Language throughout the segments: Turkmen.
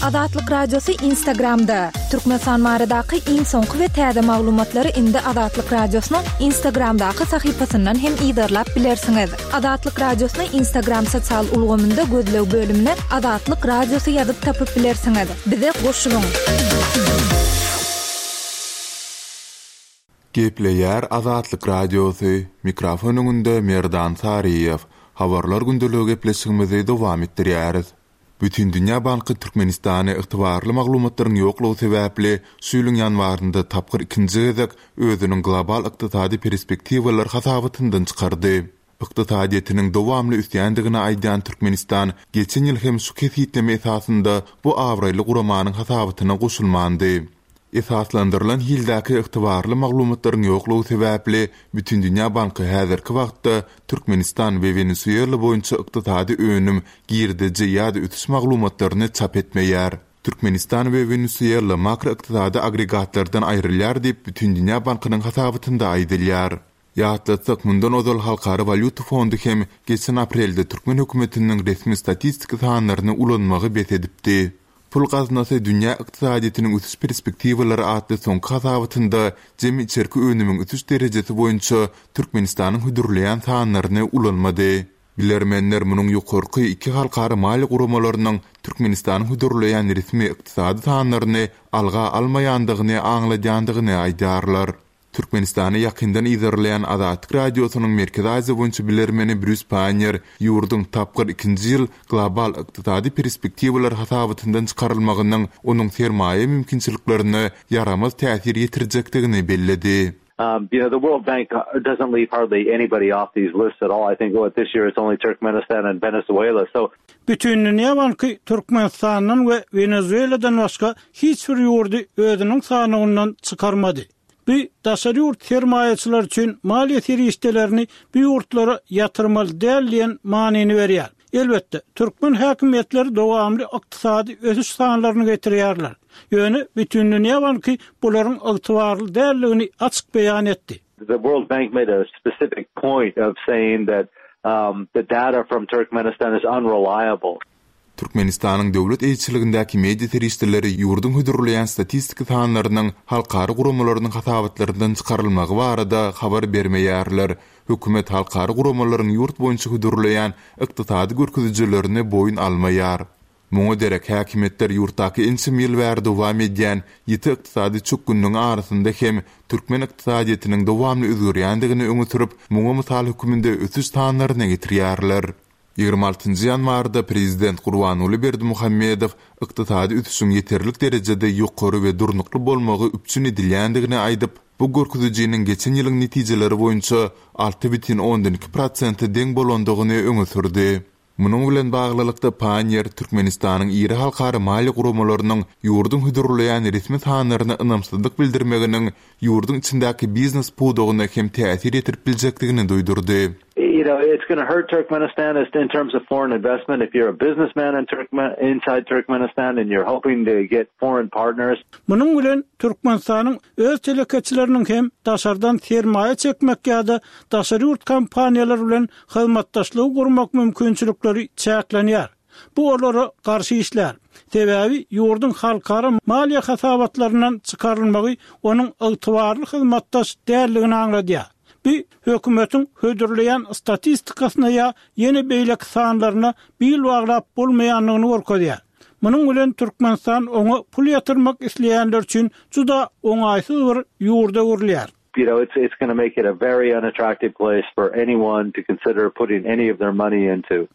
Azatlyk Radiosy Instagramda! Türkmenistan baradaky iň soňky we täze maglumatlary indi Azatlyk Radiosynyň Instagramdaky sahypasyndan hem yzarlap bilersiňiz. Azatlyk Radiosyny Instagram sosial ulgamynda gözleg bölümine Azatlyk Radiosy ýazyp tapyp bilersiňiz. Bize goşulyň! Gepleýär Azatlyk Radiosy, mikrofon öňünde Merdan Saryýew. Habarlar gündeligi gepleşigimizi dowam etdirýäris. Bütindünýä banky Türkmenistany ygtybarly maglumatlaryň ýoklugy sebäpli şu ýylyň ýanwarynda tapgyr ikinji gezek özüniň Global ykdysady perspektiwalar hasabatyndan çykardy. Ykdysadyýetiniň dowamly ösýändigini aýdýan Türkmenistan geçen ýyl hem şu kesgitleme esasynda bu abraýly guramanyň hasabatyna goşulmandy. Esaslandyrylan hildäki ygtybarly maglumatlaryň ýoklugy sebäpli Bütindünýä banky häzirki wagtda Türkmenistan we Wenesuela boýunça ykdysady önüm, girdeji ýa-da ösüş maglumatlaryny çap etmeýär. Türkmenistan we Wenesuela makroykdysady agregatlardan aýrylýar diýip, Bütindünýä bankynyň hasabatynda aýdylýar. Ýatlatsak, mundan ozal Halkara walýuta fondy hem geçen aprelde türkmen hökümetiniň resmi statistik sanlaryny ulanmagy bes edipdi. Pul gaznasy Dünýä ykdysadyýetiniň ösüş perspektiwalary atly soňky hasabatynda jemi içerki önümiň ösüş derejesi boýunça Türkmenistanyň hödürleýän sanlaryny ulanmady. Bilermenler munuň ýokarky iki halkara maliýe guramalarynyň Türkmenistanyň hödürleýän resmi ykdysady sanlaryny alga almaýandygyny aňladýandygyny aýdýarlar. Türkmenistany ýakyndan yzarlaýan Azatlyk Radiosynyň Merkezi Aziýa boýunça bilermeni Brýus Paýner ýurduň tapgyr ikinji ýyl Global ykdysady perspektiwalar hasabatyndan çykarylmagynyň onuň sermaýa mümkinçiliklerine ýaramaz täsir ýetirjekdigini belledi. You know, the World Bank doesn't leave hardly anybody off these lists at all. I think what this year it's only Turkmenistan and Venezuela. So Bütindünýä banky Türkmenistandan we Wenezueladan başga hiç bir ýurdy özüniň sanawyndan çykarmady. Bu daşary ýurt sermaýaçylary üçin maliýe serişdelerini bu ýurtlara ýatyrmaly däl diýen manyny berýär. Elbetde, türkmen häkimiýetleri dowamly ykdysady ösüş sanlaryny getirýärler. Ýöne Bütindünýä banky bularyň ygtybarly däldigini açyk beýan etdi. The World Bank made a specific point of saying that the data from Turkmenistan is unreliable. Türkmenistanyň döwlet eýeçiligindäki media serişdeleri ýurduň hödürleýän statistiki sanlarynyň halkara guramalarynyň hasabatlaryndan çykarylmagy barada habar bermeýärler. Hökümet halkara guramalaryň ýurt boýunça hödürleýän ykdysady görkezijilerini boýun almaýar. Muňa derek, häkimiýetler ýurtdaky ençeme ýyl bäri dowam edýän ýiti ykdysady çökgünligiň arasynda hem türkmen ykdysadyýetiniň dowamly özgerýändigini öňe sürüp, muňa mysal hökmünde ösüş sanlaryny getirýärler. 26 ýanwarda prezident Gurbanguly Berdimuhamedow ykdysady ösüşiň ýeterlik derejede ýokary we durnukly bolmagy üpjün edilýändigini aýdyp, bu görkezijiniň geçen ýylyň netijeleri boýunça 6,2 prosente deň bolandygyny öňe sürdi. Munuň bilen baglylykda, Panniýer Türkmenistanyň iri halkara maliýe guramalarynyň ýurduň hödürleýän resmi sanlaryna ynamsyzlyk bildirmeginiň ýurduň içindäki biznes pudagyna hem täsir ýetirip biljekdigini duýdurdy. You know, it's gonna hurt Turkmenistan in terms of foreign investment if you're a businessman in Turkmen inside Turkmenistan and you're hoping to get foreign partners. Munuň bilen Türkmenistanyň öz telekeçileriniň hem daşardan sermaýa çekmek ýa-da daşary ýurt kompaniýalary bilen hyzmatdaşlygy gurmak mümkinçilikleri çäklenýär. Bu olara garşy işlär. Sebäbi ýurduň halkara maliýe hasabatlaryndan çykarylmagy onuň ygtybarly hyzmatdaş däldigini aňladýar. Bu hökümetiň hödürleýän statistikasyna ýa ýene beýleki sanlaryna bil baglap bolmaýandygyny görkezýär. Munuň bilen Türkmenistan oňa pul ýatyrmak isleýänler üçin juda oňaýsyz bir ýurda öwrülýär. You know, it's it's gonna make it a very unattractive place for anyone to consider putting any of their money into.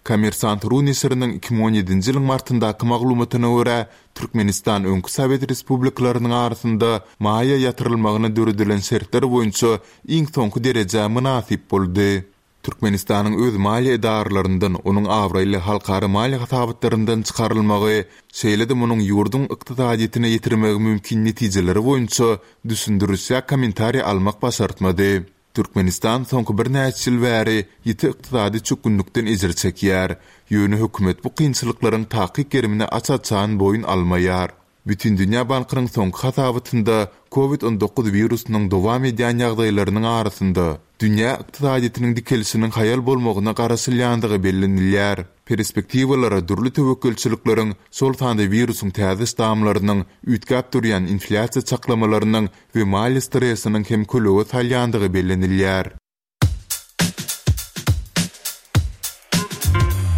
Kommersant ru neşiriniň 2017-nji ýylyň martyndaky maglumatyna görä, Türkmenistan öňki sowet respublikalarynyň arasynda maýa ýatyrylmagyna döredilen şertler boýunça iň soňky derejä mynasyp boldy. Türkmenistanyň öz maliýe edaralaryndan onuň abraýly halkara maliýe hasabatlaryndan çykarylmagy, şeýle-de munuň ýurduň ykdysadyýetine ýetirmegi mümkin netijeleri boýunça düşündiriş ýa kommentariý almak başartmady. Türkmenistan soňky birnäçe ýyl bäri ýiti ykdysady çökgünlikden ejir çekýär. Ýöne hökümet bu kynçylyklaryň takyk gerimini aç-açan boýun almaýar. Bütindünýä bankynyň soňky hasabatynda Covid 19 wirusynyň dowam edýän ýagdaýlarynyň arasynda, dünýä ykdysadyýetiniň dikelişiniň haýal bolmagyna garaşylýandygy bellenilýär. Perspektiwalara dürli töwekgelçilikleriň, şol sanda wirusyň täze ştamlarynyň, üýtgäp durýan inflýasiýa çaklamalarynyň we maliýe stresiniň hem kölege salýandygy bellenilýär.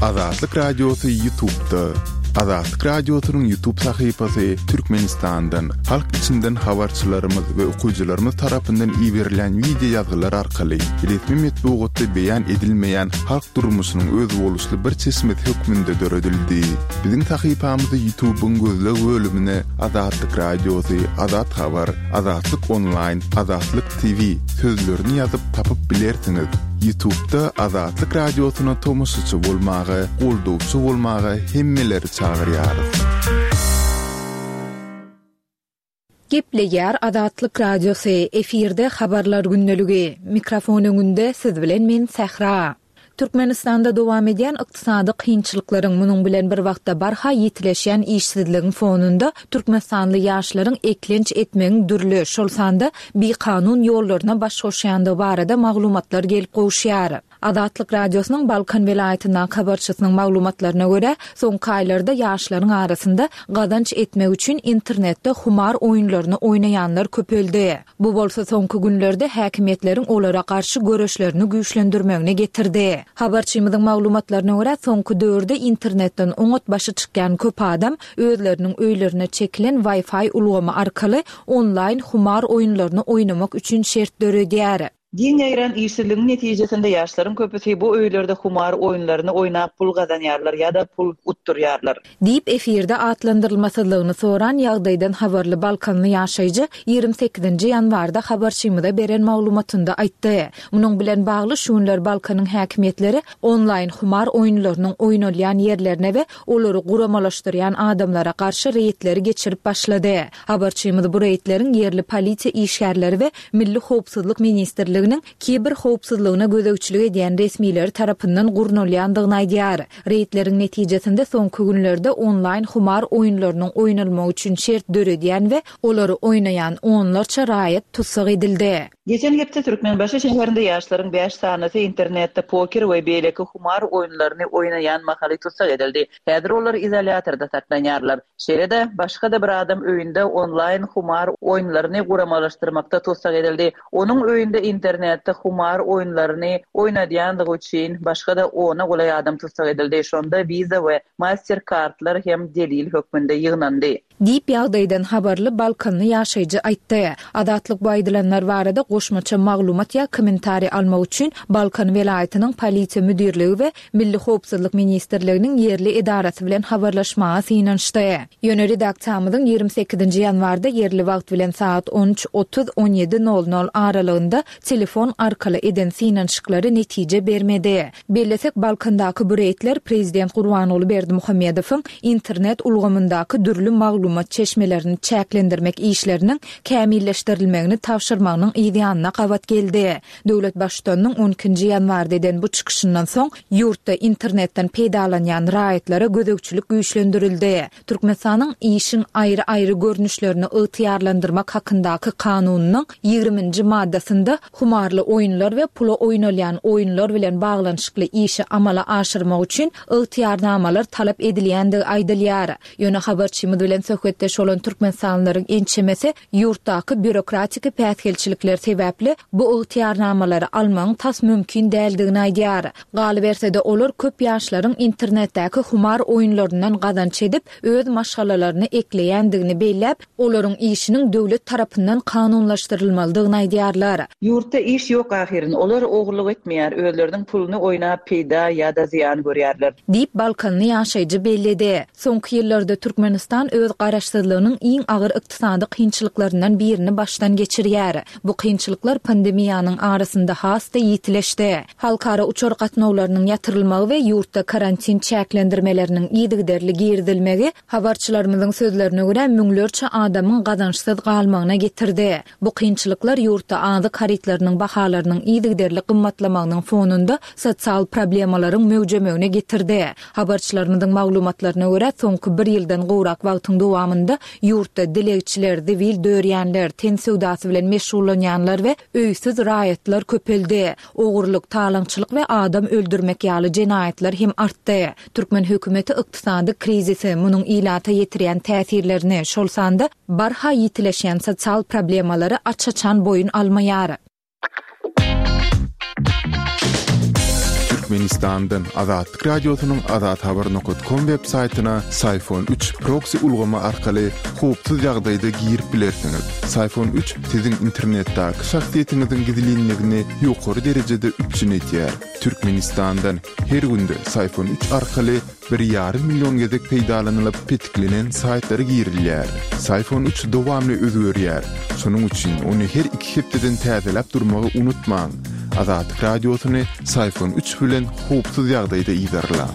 Azatlyk Radiosy Ýutubda. Azatlyk Radiosynyň Ýutub sahypasy Türkmenistandan, halk içinden habarçylarymyz we okyjylarymyz tarapyndan iberilýän wideo ýazgylar arkaly resmi metbugatda beýan edilmeýän halk durmuşynyň özboluşly bir çeşmesi hökmünde döredildi. Biziň sahypamyzy Ýutubyň gözleg bölümine Azatlyk Radiosy, Azat Habar, Azatlyk Onlaýn, Azatlyk TV sözlerini ýazyp tapyp bilersiňiz. Ýutubda Azatlyk Radiosyna tomaşaçy bolmaga, goldawçy bolmaga hemmeleri çagyrýarys. Gepleýär Azatlyk Radiosy, efirde Habarlar gündeligi. Mikrofon öňünde siz bilen men Sähra. Türkmenistanda dowam edýän ykdysady kynçylyklaryň, munuň bilen bir wagtda barha ýitileşýän işsizligiň fonunda türkmenistanly ýaşlaryň eklenç etmegiň dürli, şol sanda bikanun ýollaryna baş goşýandygy barada maglumatlar gelip gowuşýar. Azatlyk Radiosynyň Balkan welaýatyndaky habarçysynyň maglumatlaryna görä, soňky aýlarda ýaşlaryň arasynda gazanç etmek üçin internetde humar oýunlaryny oýnaýanlar köpeldi. Bu bolsa soňky günlerde häkimiýetleriň olara garşy göreşlerini güýçlendirmegine getirdi. Habarçymyzyň maglumatlaryna görä, soňky döwürde internetden oňat başy çykýan köp adam özleriniň öýlerine çekilen Wi-Fi ulgamy arkaly onlaýn humar oýunlaryny oýnamak üçin şert döredýär. Giň ýaýran işsizligiň netijesinde ýaşlaryň köpüsi bu öýlerde humar oýunlaryny oýnap pul gazanýarlar ýa-da pul utdurýarlar. Diýip, efirde atlandyrylmasyzlygyny soran ýagdaýdan habarly balkanly ýaşaýjy 28-nji ýanwarda habarçymyza beren maglumatynda aýtdy. Munuň bilen bagly, şu günler Balkanyň häkimiýetleri onlaýn humar oýunlarynyň oýnalýan ýerlerine we olary guramalaşdyrýan adamlara garşy reýdleri geçirip başlady. Habarçymyz bu reýdleriň ýerli polisiýa işgärleri we Milli howpsuzlyk ministrliginiň kiber howpsuzlygyna gözegçilik edýän resmileri tarapyndan gurnalýandygyny aýdýar. Reýdleriň netijesinde soňky günlerde onlaýn humar oýunlarynyň oýnalmagy üçin şert döredýän we olary oýnaýan onlarça raýat tussag edildi. Geçen hepde Türkmenbaşy şäherinde ýaşlaryň bäş sanysy internetde poker we beýleki humar oýunlaryny oýnaýan mahaly tussag edildi. Häzir olar izolýatorda saklanýarlar. Şeýle-de, başga-da bir adam öýünde onlaýn humar oýunlaryny guramalaşdyrmakda tussag edildi. Onuň öýünde internetde humar oýunlaryny oýnadýandygy üçin başga-da ona golaý adam tussag edildi. Şonda Visa we Mastercardlar hem delil hökmünde ýygnandy. Diýip, ýagdaýdan habarly balkanly ýaşaýjy aýtdy. Azatlyk bu aýdylanlar barada goşmaça maglumat ýa kommentariý almak üçin Balkan welaýatynyň Polisiýa müdirligi we Milli howpsuzlyk ministrliginiň ýerli edarasy bilen habarlaşmaga synanyşdy. Ýöne redaksiýamyzyň 28-nji ýanwarda ýerli wagt bilen sagat on üç otuz, on ýedi nol nol aralygynda telefon arkaly eden synanyşyklary netije bermedi. Bellesek, Balkandaky bu reýdler prezident Gurbanguly Berdimuhamedowyň internet ulgamyndaky dürli maglumat çeşmelerini çäklendirmek işleriniň kämilleşdirilmegini tabşyrmagynyň yzýanyna gabat geldi. Döwlet Baştutanynyň on ikinji ýanwarda eden bu çykyşyndan soň, ýurtda internetden peýdalanýan raýatlara gözegçilik güýçlendirildi. Türkmenistanyň Işiň aýry-aýry görnüşlerini ygtyýarlandyrmak hakyndaky Kanunynyň ýigriminji maddasynda humarly oýunlar we pula oýnalýan oýunlar bilen baglanyşykly işi amala aşyrmak üçin ygtyýarnamalar talap edilýändigi aýdylýar. Ýöne habarçymyz bilen söhbetdeş bolan türkmenistanlylaryň ençemesi ýurtdaky býurokratiki päsgelçilikler sebäpli bu ygtyýarnamalary almagyň tas mümkin däldigini aýdýar. Galyberse-de, olar köp ýaşlaryň internetdäki humar oýunlaryndan gazanç edip, öz maşgalalaryny ekleýändigini belläp, olaryň işiniň döwlet tarapyndan kanunlaşdyrylmalydygyny aýdýarlar. Ýurtda iş ýok ahyryn, olar ogurlyk etmeýär, özleriniň puluny oýnap peýda ýa-da zyýan görýärler. Diýip, balkanly ýaşaýjy belledi. Soňky ýyllarda Türkmenistan öz garaşsyzlygynyň iň agyr ykdysady kynçylyklaryndan birini başdan geçirýär. Bu kynçylyklar pandemiýanyň arasynda has-da ýitileşdi. Halkara uçar gatnawlarynyň ýatyrylmagy we ýurtda karantin çäklendirmeleriniň yzygiderli girizilmegi, habarçylarymyzyň sözlerine görä, müňlerçe adamyň gazançsyz galmagyna getirdi. Bu kynçylyklar ýurtda azyk harytlarynyň bahalarynyň yzygiderli gymmatlamagynyň fonunda sosial problemalaryň möwjemegine getirdi. Habarçylarymyzyň maglumatlaryna görä, soňky bir ýyldan gowrak wagtyň dowamynda. dowamynda ýurtda dilegçiler, zibil dörýänler, ten söwdasy bilen meşgullanýanlar we öýsüz raýatlar köpeldi. Ogurlyk, talaňçylyk we adam öldürmek ýaly jenaýatlar hem artdy. Türkmen hökümeti ykdysady krizisi, munuň ilata ýetirýän täsirlerini, şol sanda barha ýitileşýän sosial problemalary aç-açan boýun almaýar. Türkmenistandan Azatlyk Radiosynyň Azathabar nokat kom web saýtyna Syfon 3 proksi ulgamy arkaly howpsuz ýagdaýda girip bilersiňiz. Syfon 3 siziň internetdäki şahsyýetiňiziň gizlinligini ýokary derejede üpjün edýär. Türkmenistandan her günde Syfon 3 arkaly bir ýarym million gezek peýdalanylyp petiklenen saýtlara girilýär. Syfon 3 dowamly özgerýär. Şonuň üçin ony her iki hepdeden täzeläp durmagy unutmaň. Azatlyk Radiosyny Syfon 3 bilen howpsuz ýagdaýda yzarlaň.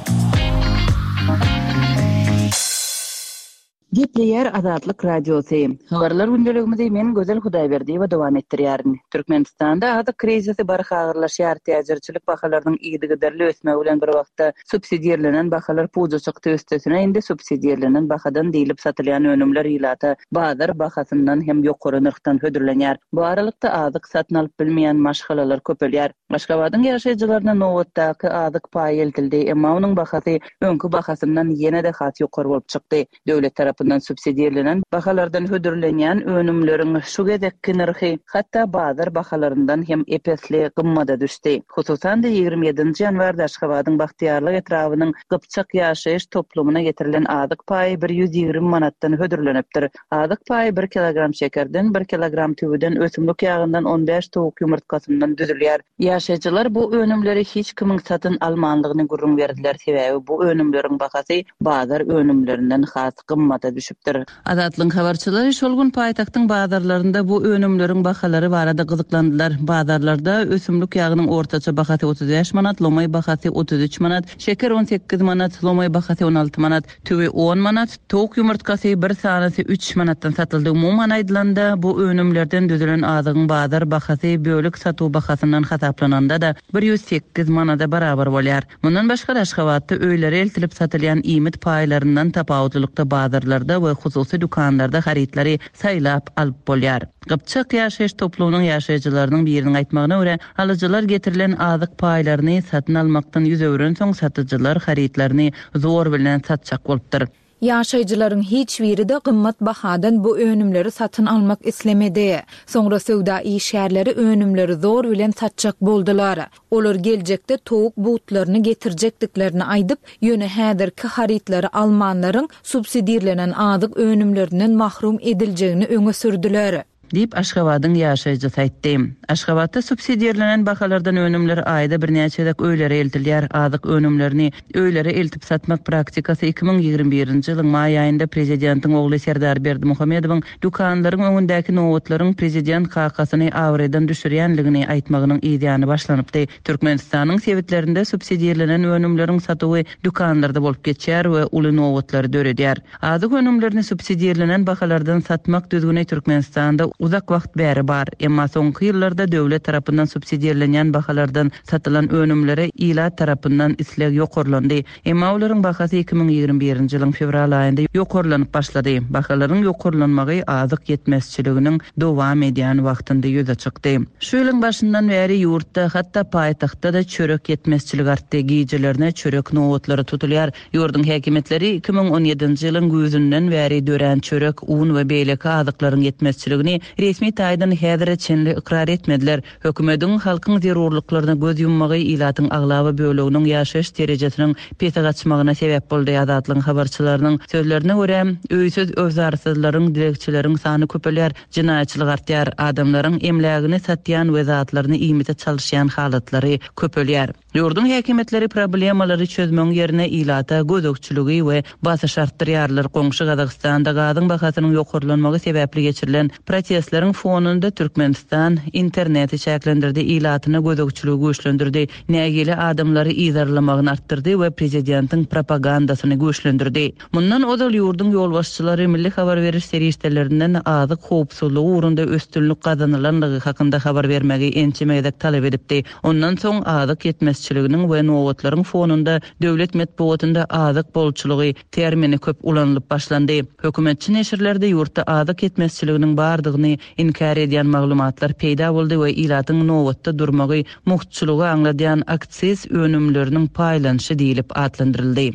Gepleýär Azatlyk Radiosy. Habarlar gündeligimizi men Gözel Hudaýberdiýewa dowam etdirýärin. Türkmenistanda azyk krizisi barha agyrlaşýar, täjirçilik bahalarynyň yzygiderli ösmegi bilen bir wagtda subsidirlenen bahalar puja çykdy, üstesine indi subsidirlenen bahadan diýlip satylýan önümler ilata bazar bahasyndan hem ýokary nyrhdan hödürlenýär. Bu aralykda azyk satyn alyp bilmeýän maşgalalar köpelýär. Aşgabadyň ýaşaýjylaryna nobatdaky azyk paýy eltildi, emma onuň bahasy öňki bahasyndan ýene-de has ýokary bolup çykdy. Döwlet tarapyndan subsidirlenen bahalardan hödürlenýän önümleriň şu gezekki nyrhy hatda bazar bahalaryndan hem ep-esli gymmada düşdi. Hususan-da, 27-nji ýanwarda Aşgabadyň Bagtyýarlyk etrabynyň Gypjak ýaşaýyş toplumyna getirilen azyk paýy 120 manatdan hödürlenipdir. Azyk paýy bir kilogram şekerden, bir kilogram tüwüden, ösümlik ýagyndan, on bäş towuk ýumurtgasyndan düzülýär. Ýaşaýjylar bu önümleri hiç kimiň satyn almanlygyny gürrüň berdiler, sebäbi bu önümleriň bahasy bazar önümlerinden has gymmada düşüpdir. Azatlygyň habarçylary şol gün paýtagtyň bazarlarynda bu önümleriň bahalary barada gyzyklandylar. Bazarlarda ösümlik ýagynyň ortaça bahasy 35 manat, lomaý bahasy 33 manat, şeker 18 manat, lomaý bahasy 16 manat, Tüwi on manat, towuk ýumurtgasy bir sanysy üç manatdan satyldy. Umuman aýdylanda, bu önümlerden düzülen azygyň bazar bahasy bölek satuw bahasyndan hasaplananda-da bir 108 manada barabar bolýar. Mundan başga-da, Aşgabatda öýlere eltilip satylýan iýmit paýlaryndan tapawutlylykda bazarlarda we hususy dükanlarda harytlary saýlap alyp bolýar. Gypjak ýaşaýyş toplumynyň ýaşaýjylarynyň biriniň aýtmagyna görä, alyjylar getirilen azyk paýlaryny satyn almakdan ýüz öwrensoň, satyjylar harytlaryny zor bilen satjak bolupdyr. Ýaşaýjylaryň hiç biri-de gymmat bahadan bu önümleri satyn almak islemedi. Soňra söwda işgärleri önümleri zor bilen satjak boldular. Olar geljekde towuk butlaryny getirjekdiklerini aýdyp, ýöne häzirki harytlary almanlaryň subsidirlenen azyk önümlerinden mahrum ediljegini öňe sürdüler. Diýip, Aşgabadyň ýaşaýjysy aýtdy. Aşgabatda subsidirlenen bahalardan önümler aýda birnäçe gezek öýlere eltilýär. Azyk önümlerini öýlere eltip satmak praktikasy 2021-nji ýylyň maý aýynda prezidentiň ogly Serdar Berdimuhamedowyň dükanlaryň öňündäki nobatlaryň prezident kakasyny abraýdan düşürýänligini aýtmagynyň yzýany başlanypdy. Türkmenistanyň sebitlerinde subsidirlenen önümleriň satuwy dükanlarda bolup geçýär we uly nobatlary döredýär. Azyk önümlerini subsidirlenen bahalardan satmak düzgüni Türkmenistanda uzak wagt bäri bar. Emma soňky ýyllarda döwlet tarapyndan subsidirlenýän bahalardan satylan önümlere ilat tarapyndan isleg ýokarlandy. Emma olaryň bahasy 2021-nji ýylyň fewral aýynda ýokarlanyp başlady. Bahalaryň ýokarlanmagy azyk ýetmezçiliginiň dowam edýän wagtynda ýüze çykdy. Şu ýylyň başyndan bäri ýurtda, hatda paýtagtda-da çörek ýetmezçiligi artdy. Gijelerine çörek nobatlary tutulýar. Ýurduň häkimiýetleri 2017-nji ýylyň güýzünden bäri dörän çörek, un we beýleki azyklaryň ýetmezçiligini resmi taýdan häzire çenli ykrar etmediler. Hökümediň halkyň zerurlyklaryna göz ýummagy ilatyň aglaba böleginiň ýaşaýyş derejesiniň pese gaçmagyna sebäp boldy. Azatlygyň habarçylarynyň sözlerine görä, öýsüz-öwzarsyzlaryň, dilegçileriň sany köpelýär, jenaýatçylyk artýar, adamlaryň emlägini satýan we zatlaryny iýmite çalyşýan halatlary köpelýär. Ýurduň häkimiýetleri problemalary çözmegiň ýerine ilata gözegçiligi we basyşy artdyrýarlar. Goňşy Gazagystanda gazyň bahasynyň ýokarlanmagy sebäpli geçirilen protestler. Protestleriň fonunda Türkmenistan interneti çäklendirdi, ilatyna gözegçiligi güýçlendirdi, nägile adamlary yzarlamagyny artdyrdy we prezidentiň propagandasyny güýçlendirdi. Mundan ozal ýurduň ýolbaşçylary milli habar beriş serişdelerinden azyk howpsuzlygy ugrunda üstünlik gazanylanlygy hakynda habar bermegi ençeme gezek talap edipdi. Ondan soň azyk ýetmezçiliginiň we nobatlaryň fonunda döwlet metbugatynda azyk bolçulygy termini köp ulanylyp başlandy. Hökümetçi neşirlerde ýurtda azyk ýetmezçiliginiň bardygyny inkär edýän maglumatlar peýda boldy we ilatyň nobatda durmagy mugtçulygy aňladýan aksiz önümleriniň paýlanyşy diýlip atlandyryldy.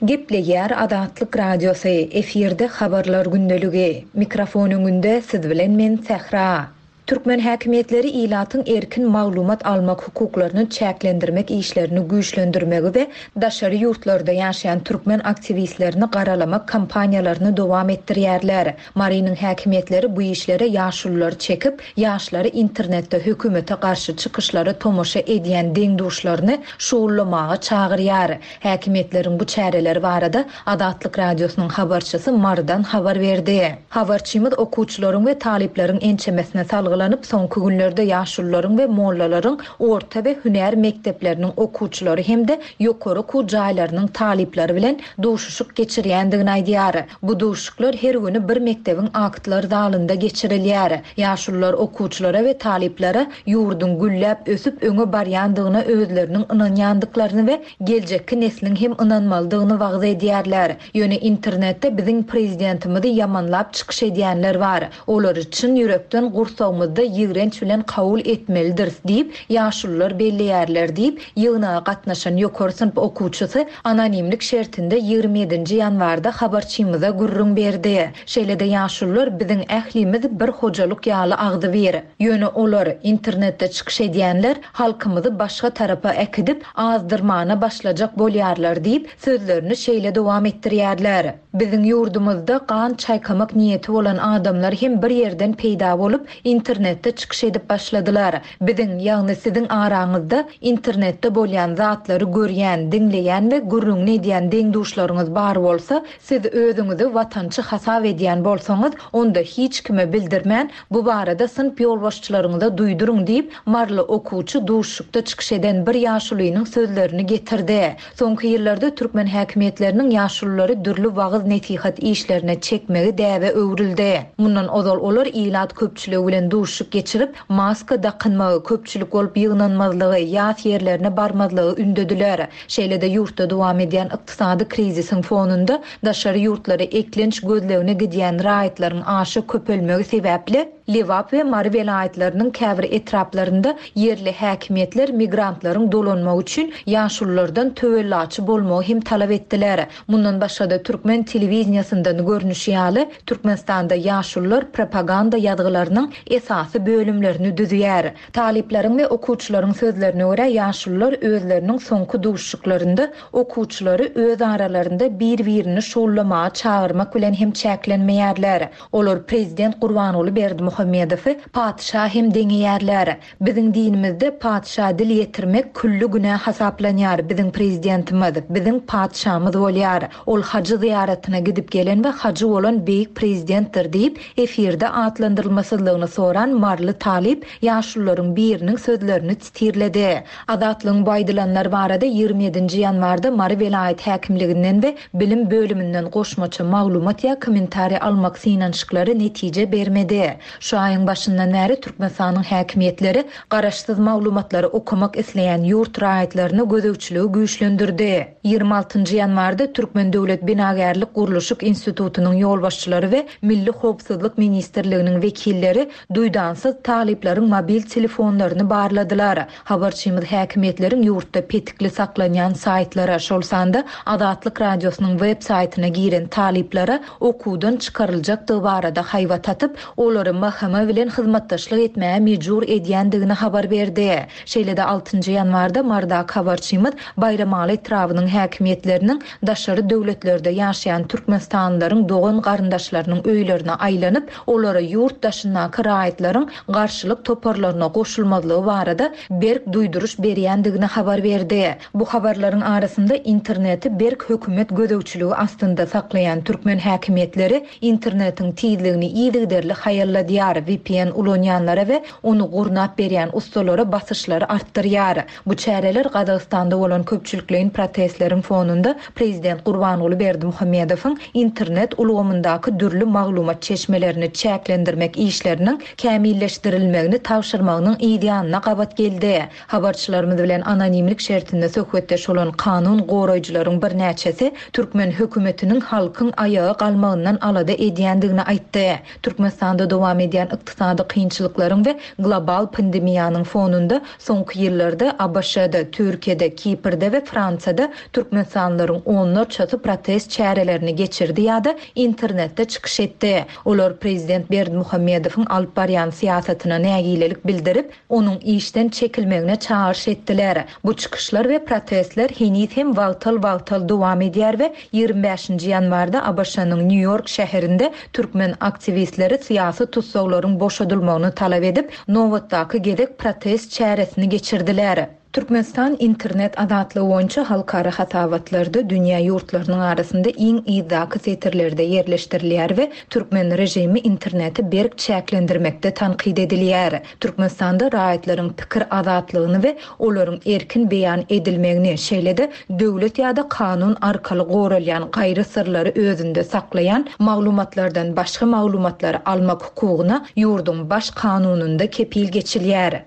Gepleýär Azatlyk Radiosy, efirde Habarlar gündeligi. Mikrofon öňünde siz bilen men Sähra. Türkmen häkimiýetleri ilatyň erkin maglumat almak hukuklaryny çäklendirmek işlerini güýçlendirmegi we daşary ýurtlarda ýaşaýan türkmen aktiwistlerini garalamak kampaniýalaryny dowam etdirýärler. Marynyň häkimiýetleri bu işlere ýaşululary çekip, ýaşlary internetde hökümete garşy çykyşlara tomaşa edýän deň-duşlaryny şugullamaga çagyrýar. Häkimiýetleriň bu çäreleri barada Azatlyk Radiosynyň habarçysy Marydan habar berdi. Habarçymyz okuwçylaryň we talyplaryň ençemesine salgylanyp, soňky günlerde ýaşulularyň we mollalaryň orta we hünär mekdepleriniň okuwçylary hem-de ýokary okuw jaýlarynyň talyplary bilen duşuşyk geçirýändigini aýdýar. Bu duşuşyklar her güni bir mekdebiň aktlar zalynda geçirilýär. Ýaşulular okuwçylara we talyplara ýurduň gülläp ösüp öňe barýandygyna özleriniň ynanýandyklaryny we geljekki nesliň hem ynanmalydygyny wagyz edýärler. Ýöne internetde biziň prezidentimizi ýamanlap çykyş edýänler bar. Olary çyn ýürekden gursagymyzda ýigrenç bilen kabul etmelidiris diýip, ýaşulular belleýärler diýip, ýygnaga gatnaşan ýokary synp okuwçysy anonimlik şertinde 27-nji ýanwarda habarçymyza gürrüň berdi. Şeýle-de ýaşulular biziň ählimiz bir hojalyk ýaly agzybir. Ýöne olar, internetde çykyş edýänler, halkymyzy başga tarapa äkidip, azdyrmana başlajak bolýarlar diýip, sözlerini şeýle dowam etdirýärler. Biziň ýurdumyzda gan çaýkamak niýeti bolan adamlar hem bir ýerden peýda bolup, internetde çykyş edip başladylar. Biziň, ýagny siziň araňyzda internetde bolýan zatlary görýän, diňleýän we gürrüňini edýän deň-duşlaryňyz bar bolsa, siz özüňizi watançy hasap edýän bolsaňyz, onda hiç kime bildirmän, bu barada synp ýolbaşçylaryňyza duýduryň diýip, maryly okuwçy duşuşykda çykyş eden bir ýaşulynyň sözlerini getirdi. Soňky ýyllarda türkmen häkimiýetleriniň ýaşululary dürli wagyz-nesihat işlerine çekmegi däbe öwrüldi. Mundan ozal olar ilat köpçüligi bilen duşuşyk geçirip, maska dakynmagy, köpçülik bolup ýygnanmazlygy, ýas ýerlerine barmazlygy ündediler. Şeýle-de ýurtda dowam edýän ykdysady krizisiň fonunda daşary ýurtlara eklenç gözlegine gidýän raýatlaryň aşa köpelmegi sebäpli, Lebap we Mary welaýatlarynyň käbir etraplarynda ýerli häkimiýetler migrantlaryň dolanmagy üçin ýaşululardan töwellaçy bolmagy hem talap etdiler. Mundan başga-da türkmen telewideniýesyndan görnüşi ýaly, Türkmenistanda ýaşulular propaganda ýazgylarynyň esasy bölümlerini düzýär. Talyplaryň we okuwçylaryň sözlerine görä, ýaşulular özleriniň soňky duşuşyklarynda okuwçylary öz aralarynda bir-birini şugullamaga çagyrmak bilen hem çäklenmeýärler. Olar prezident Gurbanguly Berdimuhamedowy patyşa hem deňeýärler. Biziň dinimizde patyşa dil ýetirmek külli günä hasaplanýar, biziň prezidentimiz, biziň patyşamyz bolýar. Ol hajy zyýaratyna gidip gelen we hajy bolan beýik prezidentdir diýip, efirde atlandyrylmasyzlygyny soran maryly talyp ýaşulularyň biriniň sözlerini titirledi. Azatlygyň bu aýdylanlar barada 27-nji ýanwarda Mary welaýat häkimliginden we bilim bölüminden goşmaça maglumat ýa kommentariý almak synanyşyklary netije bermedi. Şu aýyň başyndan bäri Türkmenistanyň häkimiýetleri garaşsyz maglumatlary okamak isleýän ýurt raýatlaryna gözegçiligi güýçlendirdi. 26-njy ýanwarda Türkmen döwlet binagärlik-gurluşyk institutynyň ýolbaşçylary we Milli howpsuzlyk ministrliginiň wekilleri duýdansyz talyplaryň mobil telefonlaryny barladylar. Habarçymyz häkimiýetleriň ýurtda petikli saklanýan saýtlara, şol sanda Azatlyk Radiosynyň web saýtyna giren talyplara okuwdan çykaryljakdygy barada haýbat atyp, olary. HM bilen hyzmatdaşlyk etmäge mejbur edýändigini habar berdi. Şeýle-de altynjy ýanwarda Marydaky habarçymyz Baýramaly etrabynyň häkimiýetleriniň daşary döwletlerde ýaşaýan türkmenistanlylaryň dogan-garyndaşlarynyň öýlerine aýlanyp, olara ýurt daşyndaky raýatlaryň garşylyk toparlaryna goşulmazlygy barada berk duýduryş berýändigini habar berdi. Bu habarlaryň arasynda interneti berk hökümet gözegçiligi astynda saklaýan türkmen häkimiýetleri internetiň tizligini yzygiderli haýalladýar, vpn ulanýanlara we ony gurnap berýän ussalara basyşlary artdyrýar. Bu çäreler Gazagystanda bolan köpçülikleýin protestleriň fonunda prezident Gurbanguly Berdimuhamedowyň internet ulgamyndaky dürli maglumat çeşmelerini çäklendirmek işleriniň kämilleşdirilmegini tabşyrmagynyň yzýanyna gabat geldi. Habarçylarymyz bilen anonimlik şertinde söhbetdeş bolan kanun goraýjylaryň birnäçesi türkmen hökümetiniň halkyň aýaga galmagyndan alada edýändigini aýtdy. Türkmenistanda dowam edýän ykdysady kynçylyklaryň we global pandemiýanyň fonunda soňky ýyllarda ABŞ-da, Türkiýede, Kiprde we Fransiýada türkmenistanlylaryň onlarçasy protest çärelerini geçirdi ýa-da internetde çykyş etdi. Olar prezident Berdimuhamedowyň alyp barýan syýasatyna nägilelik bildirip, onuň işden çekilmegine çagyryş etdiler. Bu çykyşlar we protestler heniz hem wagtal-wagtal dowam edýär we 25-nji ýanwarda ABŞ-nyň Nýu-Ýork şäherinde türkmen aktiwistleri syýasy tussaglaryň boşadylmagyny talap edip, nobatdaky gezek protest çäresini geçirdiler. Türkmenistan internet azatlygy boýunça halkara hasabatlarda dünýä ýurtlarynyň arasynda iň yzdaky setirlerde ýerleşdirilýär we türkmen režimi interneti berk çäklendirmekde tankyt edilýär. Türkmenistanda raýatlaryň pikir azatlygyny we olaryň erkin beýan edilmegini, şeýle-de döwlet ýa-da kanun arkaly goralýan gaýry syrlary özünde saklaýan maglumatlardan başga maglumatlary almak hukugyna ýurduň Baş Kanunynda kepil geçilýär.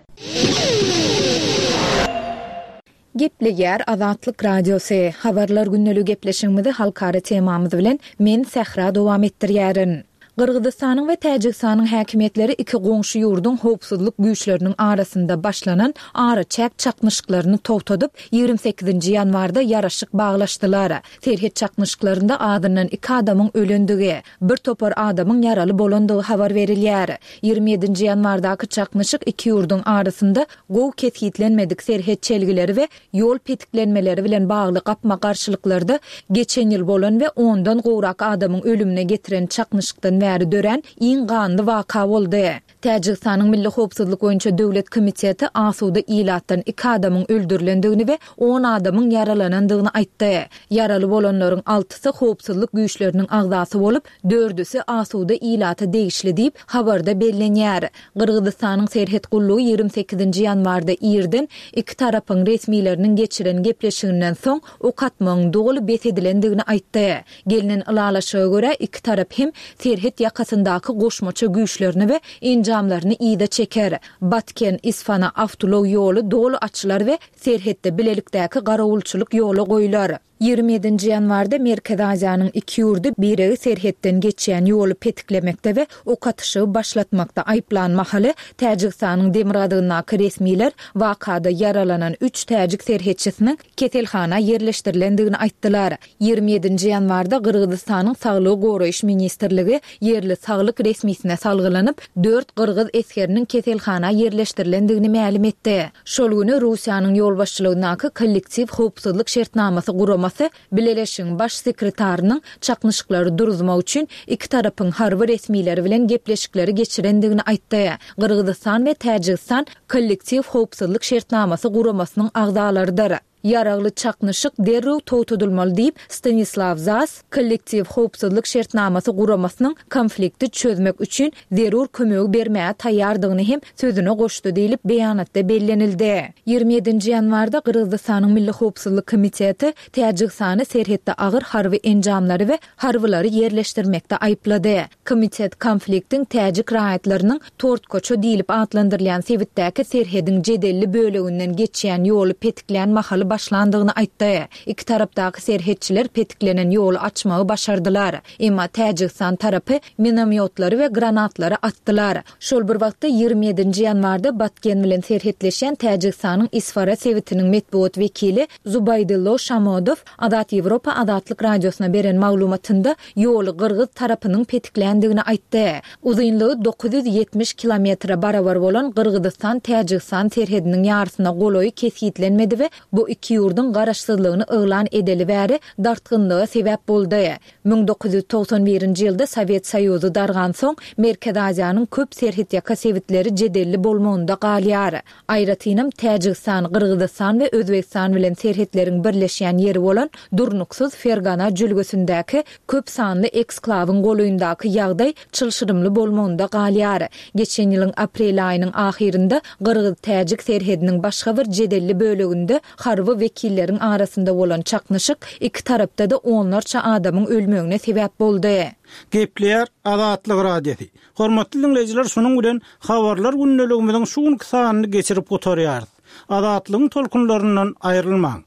Gepleýär Azatlyk Radiosy, Habarlar gündeligi gepleşigimizi halkara temamyz bilen men Sähra dowam etdirýärin. Gyrgyzystanyň we Täjigistanyň häkimiýetleri iki goňşy ýurduň howpsuzlyk güýçleriniň arasynda başlanan araçäk çaknyşyklaryny togtadyp, 28-nji ýanwarda ýaraşyk baglaşdylar. Serhet çaknyşyklarynda azyndan iki adamyň ölendigi, bir topar adamyň ýaraly bolandygy habar berilýär. 27-nji ýanwardaky çaknyşyk iki ýurduň arasynda gowy kesgitlenmedik serhet çelgileri we ýol petiklenmeleri bilen bagly gapma-garşylyklarda geçen ýyl bolan we ondan gowrak adamyň ölümine getiren çaknyşykdan bäri dörän iň ganly waka boldy. Täjigistanyň Milli howpsuzlyk boýunça döwlet komiteti asuda ilatdan iki adamyň öldürilendigini we on adamyň ýaralanandygyny aýtdy. Ýaraly bolanlaryň altysy howpsuzlyk güýçleriniň agzasy bolup, dördüsi asuda ilata degişli diýip, habarda bellenýär. Gyrgyzystanyň serhet gullugy 28-nji ýanwarda irden iki tarapyň resmileriniň geçiren gepleşiginden soň ok atmagyň doly bes edilendigini aýtdy. Gelnen ylalaşyga görä, iki tarap hem serhet ýakasyndaky goşmaça güýçlerini we enjamlaryny yza çeker. Batken-Isfana awtoulag ýoly doly açylar we serhetde bilelikdäki garawulçylyk ýola goýlar. 27-nji ýanwarda Merkezi Aziýanyň iki ýurdy biregi serhetden geçýän ýoly petiklemekde we ok atyşygy başlatmakda aýyplan mahaly, Täjigistanyň demirgazygyndaky resmiler wakada ýaralanan üç täjik serhetçisiniň keselhana ýerleşdirilendigini aýtdylar. 27-nji ýanwarda Gyrgyzystanyň Saglygy goraýyş ministrligi ýerli saglyk resmisine salgylanyp, dört gyrgyz esgeriniň keselhana ýerleşdirilendigini mälim etdi. Şol güni Russiýanyň ýolbaşçylygyndaky Kollektiw howpsuzlyk şertnamasy guramasy Bileleşigiň Baş sekretarynyň çaknyşyklary duruzmak üçin iki tarapyň harby resmileri bilen gepleşikleri geçirendigini aýtdy. Gyrgyzystan we Täjigistan Kollektiw howpsuzlyk şertnamasy guramasynyň agzalarydyr. Ýaragly çaknyşyk derrew togtadylmaly diýip, Stanislaw Zas Kollektiw howpsuzlyk şertnamasy guramasynyň konflikti çözmek üçin zerur kömegi bermäge taýýardygyny hem sözüne goşdy diýlip, beýanatda bellenildi. 27-nji ýanwarda Gyrgyzystanyň Milli howpsuzlyk komiteti Täjigistany serhetde agyr harby enjamlary we harbylary ýerleşdirmekde aýyplady. Komitet konfliktiň täjik raýatlarynyň Tortkoço diýlip atlandyrylýan sebitdäki serhediň jedelli böleginden geçýän ýoly petiklän mahaly başlandy. başlandygyny aýtdy. Iki tarapdaky serhetçiler petiklenen ýoly açmagy başardylar. Emma Täjigistan tarapy minomýotlary we granatlary atdylar. Şol bir wagtda, 27 nji ýanwarda Batken bilen serhetleşýän Täjigistanyň Isfara sebitiniň metbugat wekili Zubaýdillo Şamodow Azat Ýewropa Azatlyk Radiosyna beren maglumatynda ýoly gyrgyz tarapynyň petikländigini aýtdy. Uzynlygy 970 kilometre barabar bolan Gyrgyzystan-Täjigistan serhediniň ýarysyna golaýy kesgitlenmedi we bu iki ýurduň garaşsyzlygyny yglan edeli bäri dartgynlyga sebäp boldy. 1991-nji ýylda Sowet Soýuzy dargansoň, Merkezi Aziýanyň köp serhetýaka sebitleri jedelli bolmagynda galýar. Aýratynam, Täjigistan, Gyrgyzystan we Özbegistan bilen serhetleriň birleşýän ýeri bolan durnuksyz Fergana jülgesindäki köp sanly eksklawyň golaýyndaky ýagdaý çylşyrymly bolmagynda galýar. Geçen ýylyň aprel aýynyň ahyrynda gyrgyz-täjik serhediniň başga bir jedelli böleginde harby wekilleriň arasynda bolan çaknyşyk iki tarapda-da onlarça adamyň ölmegine sebäp boldy. Gepleýär Azatlyk Radiosy. Hormatly diňleýjiler şunuň bilen Habarlar gündeligimiziň şu günki sanyny geçirip gutarýarys. Azatlygyň tolkunlaryndan aýrylmaň!